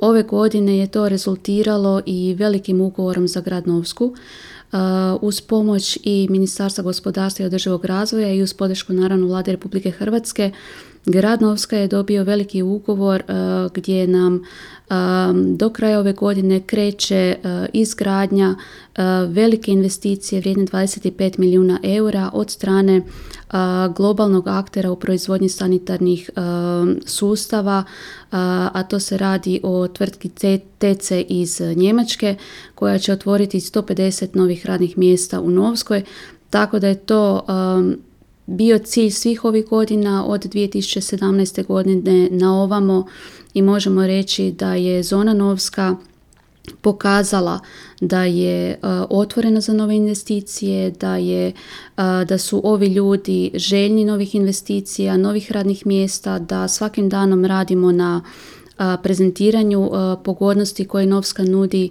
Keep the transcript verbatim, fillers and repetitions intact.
Ove godine je to rezultiralo i velikim ugovorom za grad Novsku. Uz pomoć i Ministarstva gospodarstva i održivog razvoja i uz podršku naravno Vlade Republike Hrvatske, grad Novska je dobio veliki ugovor uh, gdje nam um, do kraja ove godine kreće uh, izgradnja uh, velike investicije vrijedne dvadeset pet milijuna eura od strane uh, globalnog aktera u proizvodnji sanitarnih uh, sustava, uh, a to se radi o tvrtki T C iz Njemačke koja će otvoriti sto pedeset novih radnih mjesta u Novskoj, tako da je to um, bio cilj svih ovih godina od dvije tisuće sedamnaeste. godine na ovamo i možemo reći da je zona Novska pokazala da je uh, otvorena za nove investicije, da, je, uh, da su ovi ljudi željni novih investicija, novih radnih mjesta, da svakim danom radimo na uh, prezentiranju uh, pogodnosti koje Novska nudi